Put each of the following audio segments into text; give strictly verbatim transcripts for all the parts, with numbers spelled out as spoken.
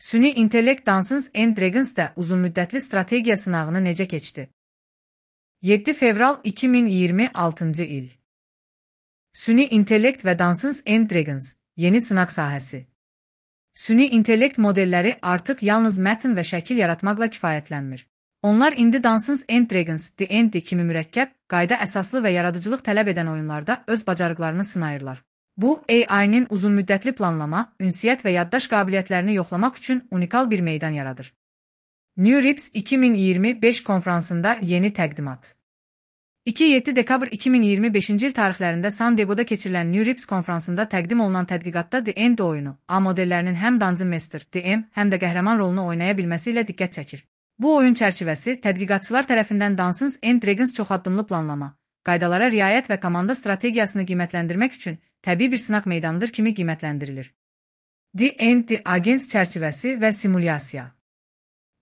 Süni intellekt Dungeons and Dragons'da uzunmüddətli strategiya sınağını necə keçdi? yeddi fevral iki min iyirmi altıncı il. Süni intellekt və Dungeons and Dragons yeni sınaq sahəsi. Süni intellekt modelləri artıq yalnız mətn və şəkil yaratmaqla kifayətlənmir. Onlar indi Dungeons and Dragons D and D kimi mürəkkəb, qayda əsaslı və yaradıcılıq tələb edən oyunlarda öz bacarıqlarını sınayırlar. Bu, A I-nin uzunmüddətli planlama, ünsiyyət və yaddaş qabiliyyətlərini yoxlamaq üçün unikal bir meydan yaradır. New Rips iki min iyirmi beş konfransında yeni təqdimat. iki yeddi dekabr iki min iyirmi beşinci il tarixlərində San Diego'da keçirilən New Rips konfransında təqdim olunan tədqiqatda D and D oyunu, A modellərinin həm Dungeon Master, D M, həm də qəhrəman rolunu oynaya bilməsi ilə diqqət çəkir. Bu oyun çərçivəsi tədqiqatçılar tərəfindən Dungeons and Dragons çoxaddımlı planlama, qaydalara riayət və komanda strategiyasını qiymətləndirmək üçün təbii bir sınaq meydanıdır kimi qiymətləndirilir. D and D Agents çərçivəsi və simulyasiya.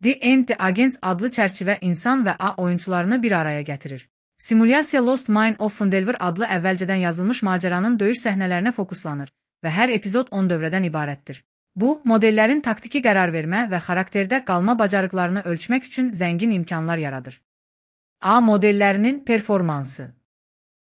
D and D Agents adlı çərçivə insan və A oyunçularını bir araya gətirir. Simulyasiya Lost Mine of Phandelver adlı əvvəlcədən yazılmış macəranın döyüş səhnələrinə fokuslanır və hər epizod on dövrədən ibarətdir. Bu, modellərin taktiki qərar vermə və xarakterdə qalma bacarıqlarını ölçmək üçün zəngin imkanlar yaradır. A modellərinin performansı.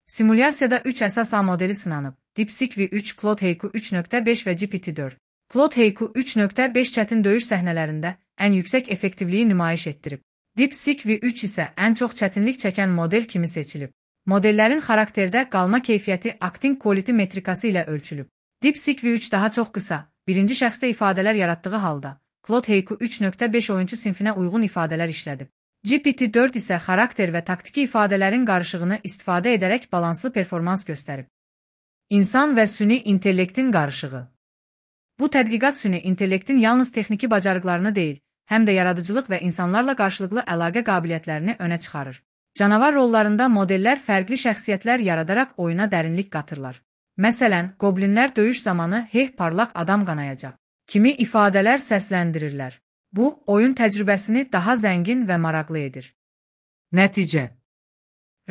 Simulyasiyada üç əsas A modeli sınanıb. DeepSeek V üç, Claude Haiku üç nöqtə beş və G P T dörd. Claude Haiku üç nöqtə beş çətin döyüş səhnələrində ən yüksək effektivliyi nümayiş etdirib. DeepSeek V üç isə ən çox çətinlik çəkən model kimi seçilib. Modellərin xarakterdə qalma keyfiyyəti acting quality metrikası ilə ölçülüb. DeepSeek V üç daha çox qısa, birinci şəxsdə ifadələr yaratdığı halda, Claude Haiku üç nöqtə beş oyuncu sinfinə uyğun ifadələr işlədib. G P T dörd isə xarakter və taktiki ifadələrin qarışığını istifadə edərək balanslı performans göstərib. İnsan və süni intellektin qarışığı. Bu tədqiqat süni intellektin yalnız texniki bacarıqlarını deyil, həm də yaradıcılıq və insanlarla qarşılıqlı əlaqə qabiliyyətlərini önə çıxarır. Canavar rollarında modellər fərqli şəxsiyyətlər yaradaraq oyuna dərinlik qatırlar. Məsələn, qoblinlər döyüş zamanı "Hey, parlaq adam qanayacaq" kimi ifadələr səsləndirirlər. Bu, oyun təcrübəsini daha zəngin və maraqlı edir. Nəticə.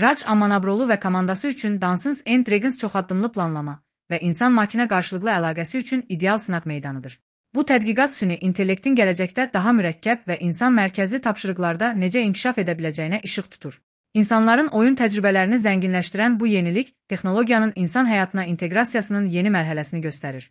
Raj Amanabroğlu və komandası üçün Dungeons and Dragons çoxaddımlı planlama və insan-makina qarşılıqlı əlaqəsi üçün ideal sınaq meydanıdır. Bu tədqiqat süni intellektin gələcəkdə daha mürəkkəb və insan mərkəzli tapşırıqlarda necə inkişaf edə biləcəyinə işıq tutur. İnsanların oyun təcrübələrini zənginləşdirən bu yenilik, texnologiyanın insan həyatına inteqrasiyasının yeni mərhələsini göstərir.